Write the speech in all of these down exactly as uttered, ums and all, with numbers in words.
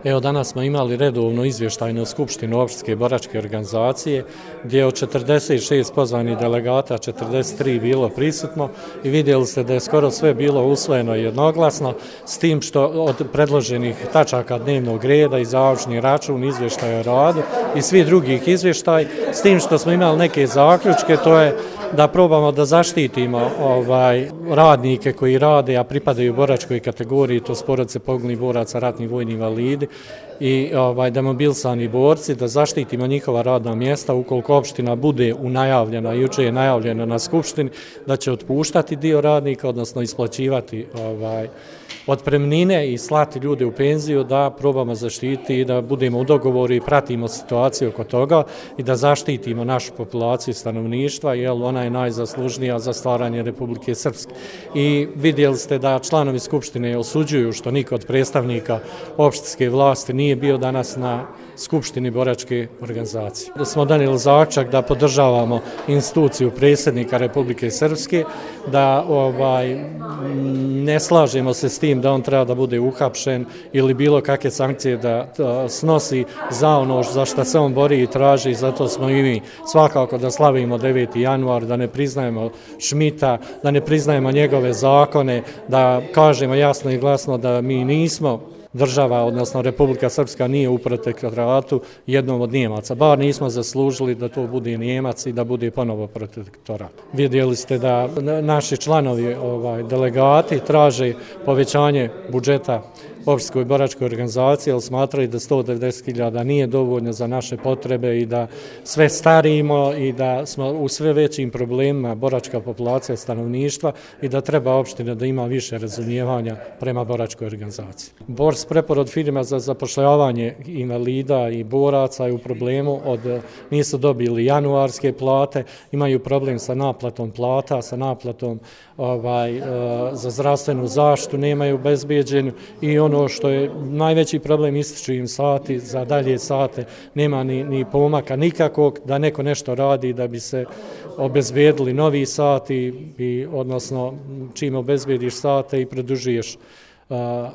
Evo, danas smo imali redovnu izvještajnu skupštinu opštinske boračke organizacije gdje je od četrdeset šest pozvanih delegata četrdeset tri bilo prisutno i vidjeli ste da je skoro sve bilo usvojeno jednoglasno, s tim što od predloženih tačaka dnevnog reda i završni račun, izvještaj o radu i svi drugih izvještaj, s tim što smo imali neke zaključke, to je da probamo da zaštitimo ovaj, radnike koji rade, a pripadaju boračkoj kategoriji, to su porodice poginulih boraca, ratni vojni invalidi i ovaj, demobilisani borci, da zaštitimo njihova radna mjesta ukoliko opština bude unajavljena, juče je najavljeno na skupštini, da će otpuštati dio radnika, odnosno isplaćivati ovaj, otpremnine i slati ljude u penziju, da probamo zaštititi i da budemo u dogovoru i pratimo situaciju oko toga i da zaštitimo našu populaciju stanovništva, jer ona je najzaslužnija za stvaranje Republike Srpske. I vidjeli ste da članovi skupštine osuđuju što niko od predstavnika opštinske vlasti nije bio danas na skupštini boračke organizacije. Da smo donijeli zaključak da podržavamo instituciju predsjednika Republike Srpske, da ovaj, ne slažemo se s tim da on treba da bude uhapšen ili bilo kakve sankcije da, da snosi za ono za što se on bori i traži, i zato smo i mi svakako da slavimo deveti januar, da ne priznajemo Šmita, da ne priznajemo njegove zakone, da kažemo jasno i glasno da mi nismo država, odnosno Republika Srpska nije u protektoratu jednom od Nijemaca. Bar nismo zaslužili da to bude Nijemac i da bude ponovo protektorat. Vidjeli ste da naši članovi, ovaj, delegati traže povećanje budžeta opštinskoj boračkoj organizaciji, ali smatraju da sto devedeset hiljada nije dovoljno za naše potrebe i da sve starimo i da smo u sve većim problemima boračka populacija stanovništva i da treba opština da ima više razumijevanja prema boračkoj organizaciji. Bors preporod firma za zapošljavanje invalida i boraca je u problemu, od nisu dobili januarske plate, imaju problem sa naplatom plata, sa naplatom ovaj, za zdravstvenu zaštitu, nemaju obezbeđenju i on ono što je najveći problem, ističu im sati, za dalje sate nema ni, ni pomaka nikakvog da neko nešto radi da bi se obezbedili novi sati, i, odnosno čim obezbediš sate i produžuješ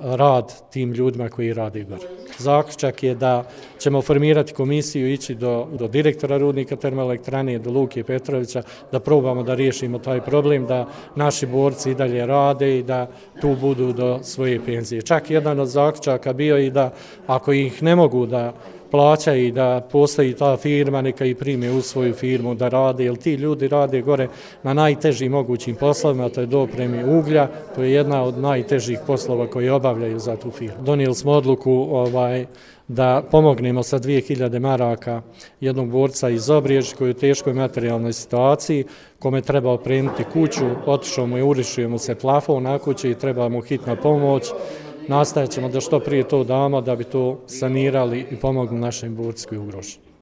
rad tim ljudima koji rade gore. Zaključak je da ćemo formirati komisiju, ići do, do direktora rudnika termoelektrane, do Luke Petrovića, da probamo da riješimo taj problem, da naši borci i dalje rade i da tu budu do svoje penzije. Čak jedan od zaključaka bio i da ako ih ne mogu da plaća i da postoji ta firma, neka i prime u svoju firmu da rade, jer ti ljudi rade gore na najtežim mogućim poslovima, to je dopremi uglja, to je jedna od najtežih poslova koji obavljaju za tu firmu. Donijeli smo odluku ovaj, da pomognemo sa dvije hiljade maraka jednog borca iz Obrijeć koji je u teškoj materijalnoj situaciji, kome treba opremiti kuću, otišao mu i urišio mu se plafon na kući i treba mu hitna pomoć. Nastojat ćemo da što prije to damo da bi to sanirali i pomogli našim borcima koji ugroženi.